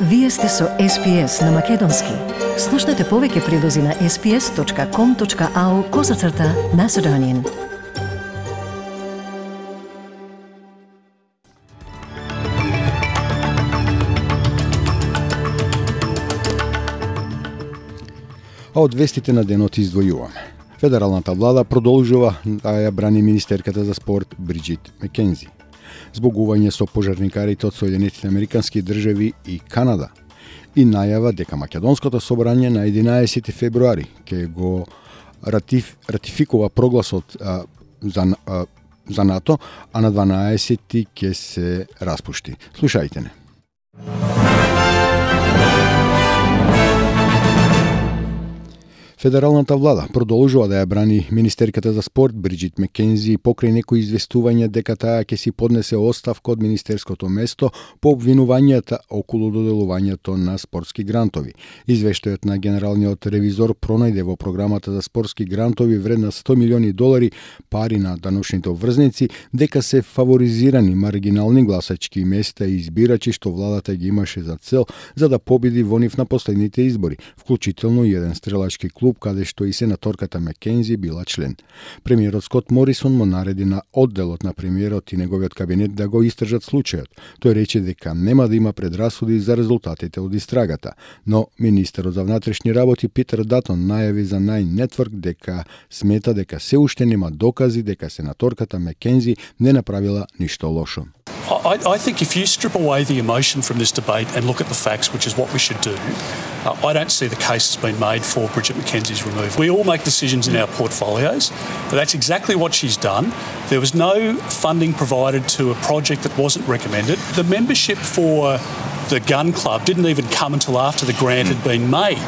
Вие сте со SPS на Македонски. Слушнете повеќе прилози на sps.com.au/Macedonian. А од вестите на денот издвојуваме. Федералната влада продолжува да ја брани министерката за спорт Бриджит Маккензи. Збогување со пожарникарите од Соединетите Американски држави и Канада и најава дека Македонското собрание на 11 февруари ќе го ратификува прогласот за НАТО, а на 12 ќе се распушти. Слушајте не. Федералната влада продолжува да ја брани министерката за спорт Бриджит Маккензи покрај некои известувања дека таа ќе си поднесе оставка од министерското место по обвинувањата околу доделувањето на спортски грантови. Извештајот на генералниот ревизор пронајде во програмата за спортски грантови вредна $100 милиони пари на даночните обврзници дека се фаворизирани маргинални гласачки места и избирачи што владата ги имаше за цел за да победи во нив на последните избори, вклучително и еден стрелачки клуб каде што и сенаторката Маккензи била член. Премиерот Скот Морисон му нареди на одделот на премиерот и неговиот кабинет да го истражат случајот. Тој рече дека нема да има предрасуди за резултатите од истрагата, но министерот за внатрешни работи Питер Датон најави за Nine Network дека смета дека се уште нема докази дека сенаторката Маккензи не направила ништо лошо. I think if you strip away the emotion from this debate and look at the facts, which is what we should do, I don't see the case has been made for Bridget Mackenzie's removal. We all make decisions in our portfolios, but that's exactly what she's done. There was no funding provided to a project that wasn't recommended. The membership for the gun club didn't even come until after the grant had been made.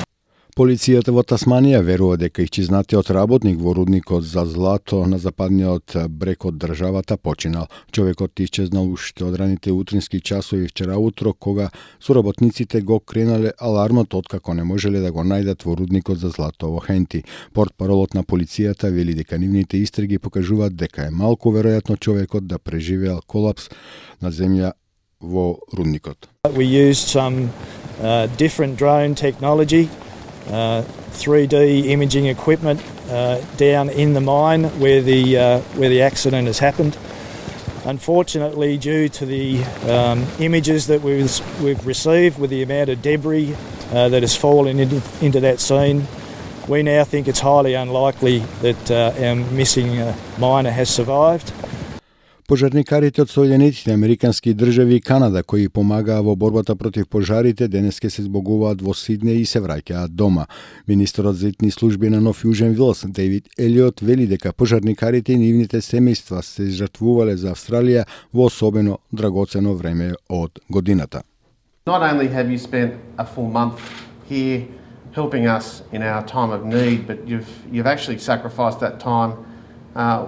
Полицијата во Тасманија верува дека исчезнатиот работник во рудникот за злато на западниот брег од државата починал. Човекот исчезнал уште од раните утрински часови вчера утро, кога соработниците го кренале алармот откако не можеле да го најдат во рудникот за злато во Хенти. Портпаролот на полицијата вели дека нивните истраги покажуваат дека е малку веројатно човекот да преживеал колапс на земја во рудникот. We used some different drone technology. 3D imaging equipment down in the mine where the accident has happened. Unfortunately, due to the images that we've received with the amount of debris that has fallen into that scene, we now think it's highly unlikely that our missing miner has survived. Пожарникарите од Соединетите Американски држави и Канада, кои помагаа во борбата против пожарите, денеска се збогуваат во Сиднеј и се враќаат дома. Министерот за итни служби на Нов Јужен Велс, Дейвид Елиот, вели дека пожарникарите и нивните семејства се жртвувале за Австралија во особено драгоцено време од годината. Not only have you spent a full month here helping us in our time of need, but you've actually sacrificed that time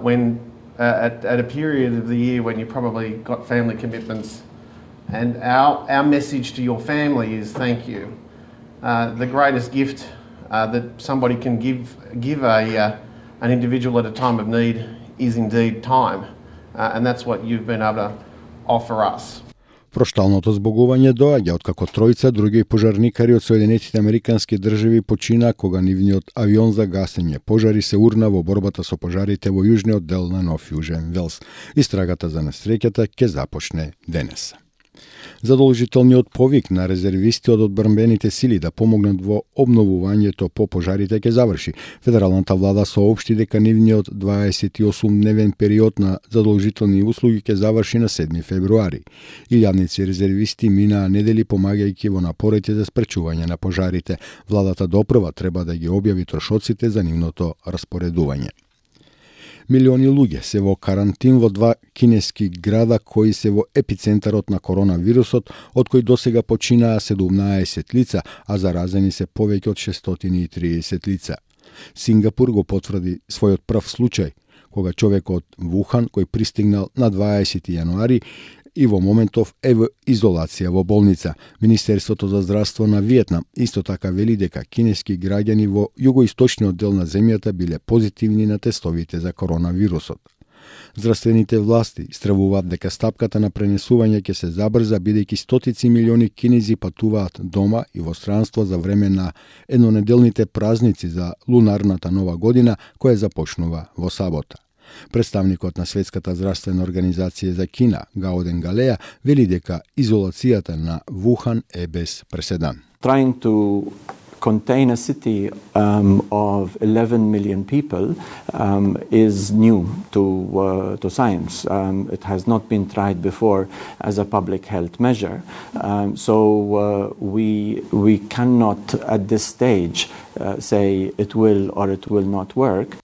when at a period of the year when you probably got family commitments. And our message to your family is thank you. The greatest gift that somebody can give an individual at a time of need is indeed time. And that's what you've been able to offer us. Прошталното збогување доаѓа откако тројца други пожарникари од Соединетите Американски држави почина кога нивниот авион за гасење пожари се урна во борбата со пожарите во јужниот дел на Нов Јужен Велс. Истрагата за несреќата ќе започне денес. Задолжителниот повик на резервисти од одбранбените сили да помогнат во обновувањето по пожарите ќе заврши. Федералната влада соопшти дека нивниот 28-дневен период на задолжителни услуги ќе заврши на 7 февруари. Илјадници резервисти минаа недели помагајќи во напорите за спречување на пожарите. Владата допрва треба да ги објави трошоците за нивното распоредување. Милиони луѓе се во карантин во 2 кинески града кои се во епицентарот на коронавирусот, од кои досега починаа 17 лица, а заразени се повеќе од 630 лица. Сингапур го потврди својот прв случај, кога човекот Вухан, кој пристигнал на 20 јануари, и во моментов е во изолација во болница. Министерството за здравство на Виетнам исто така вели дека кинески граѓани во југоисточниот дел на земјата биле позитивни на тестовите за коронавирусот. Здравствените власти стравуваат дека стапката на пренесување ќе се забрза бидејќи стотици милиони кинези патуваат дома и во странство за време на еднонеделните празници за лунарната нова година која започнува во сабота. Представникот на Светската здравствена организација за Кина, Гаоден Галеа, вели дека изолацијата на Вухан е без преседан. Trying to contain a city of 11 million people is new to science. It has not been tried before as a public health measure. So we cannot at this stage say it will or it will not work.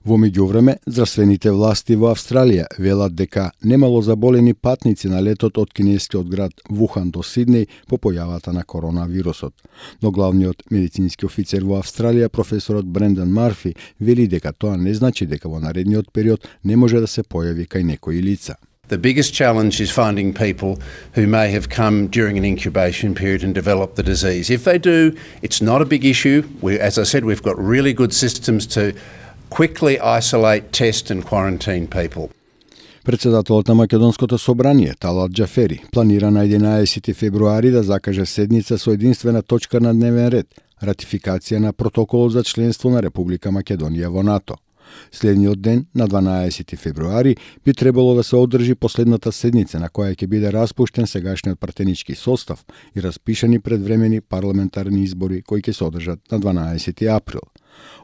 Во меѓувреме, здравствените власти во Австралија велат дека немало заболени патници на летот од кинескиот град Вухан до Сиднеј по појавата на коронавирусот. Но главниот медицински офицер во Австралија, професорот Брендан Марфи, вели дека тоа не значи дека во наредниот период не може да се појави кај некои лица. The biggest challenge is finding people who may have come during an incubation period and developed the disease. If they do, it's not a big issue. As I said, we've got really good systems to quickly isolate, test and quarantine people. Председателот на Македонското собрание, Талат Џафери, планира на 11 февруари да закаже седница со единствена точка на дневен ред – ратификација на протоколот за членство на Република Македонија во НАТО. Следниот ден, на 12 февруари, би требало да се одржи последната седница на која ќе биде распуштен сегашниот пратенички состав и распишани предвремени парламентарни избори кои ќе се одржат на 12 април.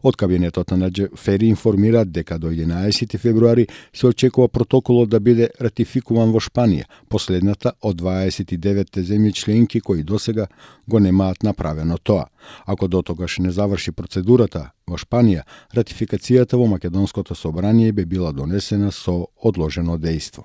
Од кабинетот на Џафери информираат дека до 11 февруари се очекува протоколот да биде ратификуван во Шпанија, последната од 29 земји членки кои досега го немаат направено тоа. Ако дотогаш не заврши процедурата во Шпанија, ратификацијата во Македонското собрание би била донесена со одложено дејство.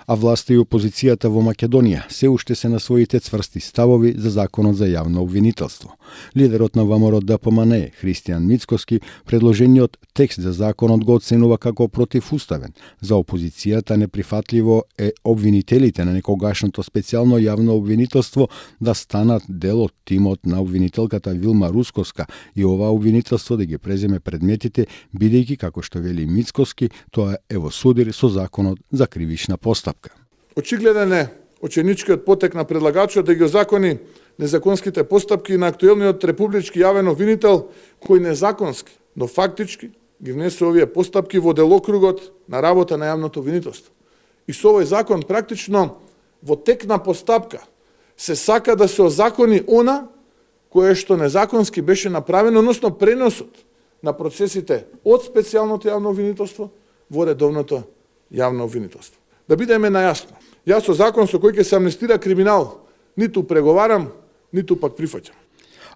А власта и опозицијата во Македонија се уште се на своите цврсти ставови за законот за јавно обвинителство. Лидерот на ВМРО-ДПМНЕ, Христијан Мицкоски, предложениот текст за законот го оценува како противуставен. За опозицијата неприфатливо е обвинителите на некогашното специјално јавно обвинителство да станат дел од тимот на обвинителката Вилма Рускоска и ова обвинителство да ги преземе предметите, бидејќи, како што вели Мицкоски, тоа е во судир со законот за кривична постапка. Очигледен е оченичкиот потек на предлагачот да ги озакони незаконските постапки на актуелниот републички јавен обвинител, кој незаконски, но фактички ги внесе овие постапки во делокругот на работа на јавното обвинителство. И со овој закон практично во тек на постапка се сака да се озакони она кое што незаконски беше направено, односно преносот на процесите од специјалното јавно обвинителство во редовното јавно обвинителство. Да бидеме најасно, јас со закон со кој ќе се амнестира криминал ниту преговарам, ниту пак прифаќам.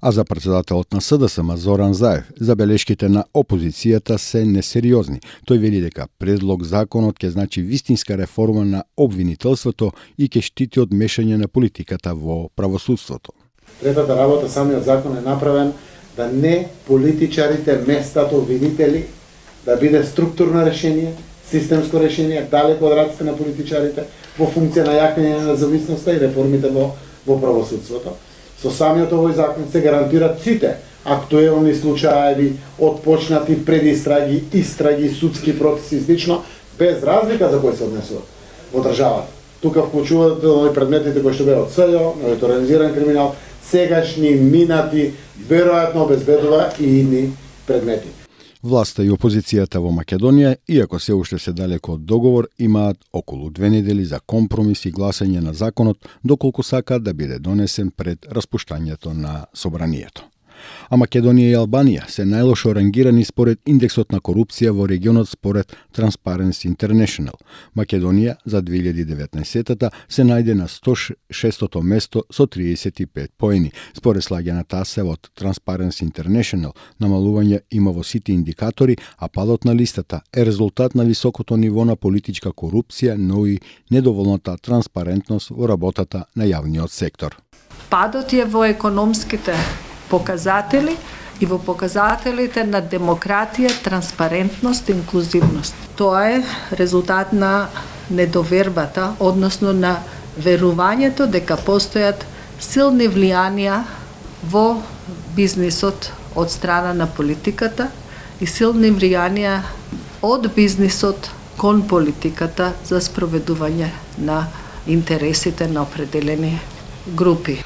А за председателот на СДСМ Зоран Заев, забелешките на опозицијата се несериозни. Тој вели дека предлог законот ќе значи вистинска реформа на обвинителството и ќе штити од мешање на политиката во правосудството. Третата работа, самиот закон е направен да не политичарите местат обвинители, да биде структурно решение, системско решение, далеко од раците на политичарите, во функција на јакнење на независноста и реформите во правосудството. Со самиот овој закон се гарантираат сите актуелни случаи, отпочнати предистраги, истраги, судски процеси и слично, без разлика за кој се однесуваат во државата. Тука вклучуваат предметите кои што беа од СЈО, новиот организиран криминал, сегашни, минати, веројатно обезбедува и идни предмети. Власта и опозицијата во Македонија, иако се уште се далеко од договор, имаат околу 2 недели за компромис и гласање на законот, доколку сакаат да биде донесен пред распуштањето на собранието. А Македонија и Албанија се најлошо рангирани според индексот на корупција во регионот според Transparency International. Македонија за 2019-та се најде на 106-то место со 35 поени. Според слаганата АСЕ од Transparency International, намалување има во сите индикатори, а падот на листата е резултат на високото ниво на политичка корупција, но и недоволната транспарентност во работата на јавниот сектор. Падот е во економските показатели и во показателите на демократија, транспарентност и инклузивност. Тоа е резултат на недовербата, односно на верувањето дека постојат силни влијанија во бизнисот од страна на политиката и силни влијанија од бизнисот кон политиката за спроведување на интересите на определени групи.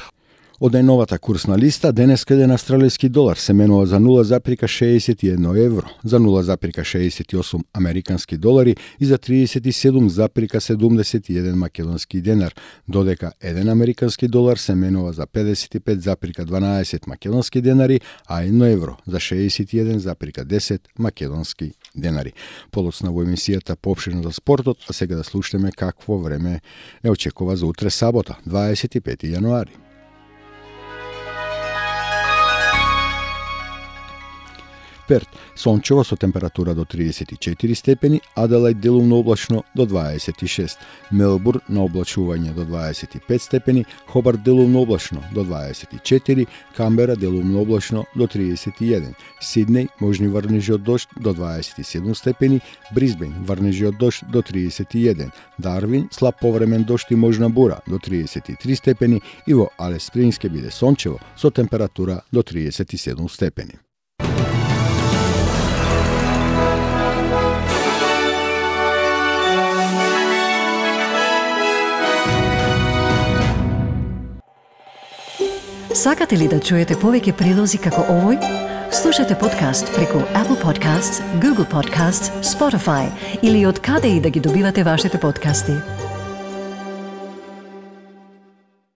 Од најновата курсна листа, денес еден австралиски долар се менува за 0,61 евро, за 0,68 американски долари и за 37,71 македонски денар, додека еден американски долар се менува за 55,12 македонски денари, а 1 евро за 61,10 македонски денари. Подоцна во емисијата поопширно за спортот, а сега да слушаме какво време не очекува за утре сабота, 25 јануари. Перт, сончево со температура до 34 степени, Аделајд делумно облачно до 26, Мелбурн на облачување до 25 степени, Хобарт делумно облачно до 24, Камбера делумно облачно до 31, Сиднеј можни врнежи од дожд до 27 степени, Брисбен врнежи од дожд до 31, Дарвин слаб повремен дожд и можна бура до 33 степени и во Алис Спрингс ќе биде сончево со температура до 37 степени. Сакате ли да чуете повеќе прилози како овој? Слушате подкаст преку Apple Podcasts, Google Podcasts, Spotify или од каде и да ги добивате вашите подкасти.